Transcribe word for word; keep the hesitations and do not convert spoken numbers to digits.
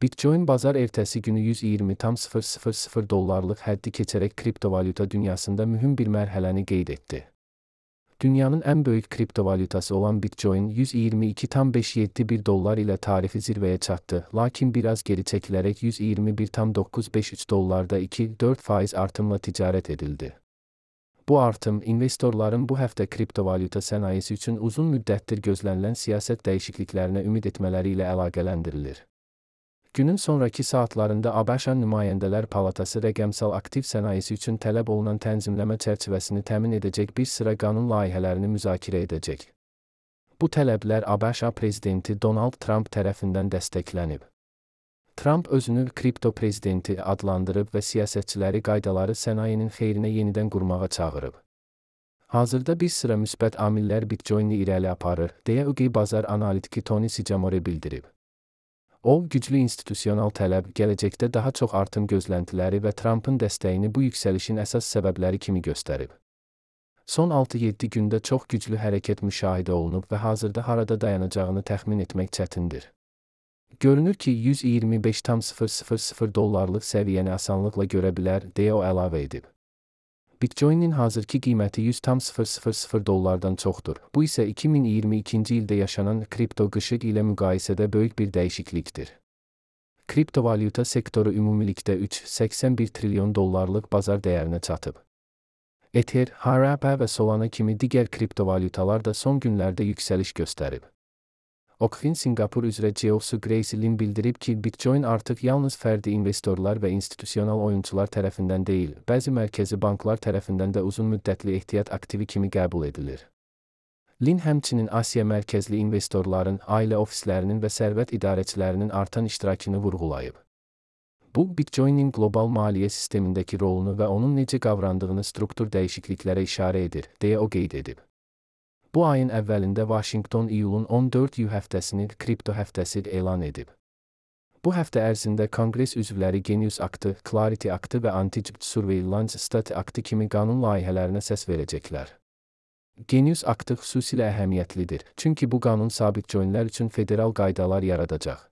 Bitcoin bazar ertəsi günü yüz iyirmi tam sıfır sıfır sıfır dollarlıq həddi keçərək kriptovalyuta dünyasında mühüm bir mərhələni qeyd etdi. Dünyanın ən böyük kriptovalyutası olan Bitcoin yüz iyirmi iki tam beş yeddi bir dollar ilə tarifi zirvəyə çatdı, lakin biraz geri çəkilərək yüz iyirmi bir tam doqquz beş üç dollarda iki dörd faiz artımla ticarət edildi. Bu artım, investorların bu həftə kriptovalyuta sənayesi üçün uzun müddətdir gözlənilən siyasət dəyişikliklərinə ümid etmələri ilə əlaqələndirilir. Günün sonraki saatlarında ABŞ Nümayəndələr Palatası rəqəmsal aktiv sənayesi üçün tələb olunan tənzimləmə çərçivəsini təmin edəcək bir sıra qanun layihələrini müzakirə edəcək. Bu tələblər ABŞ prezidenti Donald Trump tərəfindən dəstəklənib. Trump özünü kripto prezidenti adlandırıb və siyasətçiləri qaydaları sənayenin xeyrinə yenidən qurmağa çağırıb. Hazırda bir sıra müsbət amillər Bitcoin-i irəli aparır, deyə U G bazar analitiki Tony Sicamore bildirib. O, güclü institusional tələb, gələcəkdə daha çox artım gözləntiləri və Trumpın dəstəyini bu yüksəlişin əsas səbəbləri kimi göstərib. Son altı yeddi gündə çox güclü hərəkət müşahidə olunub və hazırda harada dayanacağını təxmin etmək çətindir. Görünür ki, yüz iyirmi beş tam sıfır sıfır sıfır dollarlıq səviyyəni asanlıqla görə bilər, deyə o əlavə edib. Bitcoin-in hazırki qiyməti yüz tam sıfır sıfır sıfır dollardan çoxdur. Bu isə iki min iyirmi ikinci ildə yaşanan kripto qışı ilə müqayisədə böyük bir dəyişiklikdir. Kriptovalyuta sektoru ümumilikdə üç nöqtə səksən bir trilyon dollarlıq bazar dəyərinə çatıb. Ether, H R P və Solana kimi digər kriptovalyutalar da son günlərdə yüksəliş göstərib. Okfin Singapur üzrə Geoffrey Grace Lin bildirib ki, Bitcoin artıq yalnız fərdi investorlar və institusional oyunçular tərəfindən deyil, bəzi mərkəzi banklar tərəfindən də uzun müddətli ehtiyat aktivi kimi qəbul edilir. Lin həmçinin Asiya mərkəzli investorların, ailə ofislərinin və sərvət idarəçilərinin artan iştirakını vurğulayıb. Bu, Bitcoin-in qlobal maliyyə sistemindəki rolunu və onun necə qavrandığını struktur dəyişikliklərə işarə edir, deyə o qeyd edib. Bu ayın əvvəlində Washington iyulun on dördü həftəsini kripto həftəsi elan edib. Bu həftə ərzində Konqres üzvləri Genius Aktı, Clarity Aktı və Anti-Jibd Surveillance State Aktı kimi qanun layihələrinə səs verəcəklər. Genius Aktı xüsusilə əhəmiyyətlidir, çünki bu qanun sabitcoinlər üçün federal qaydalar yaradacaq.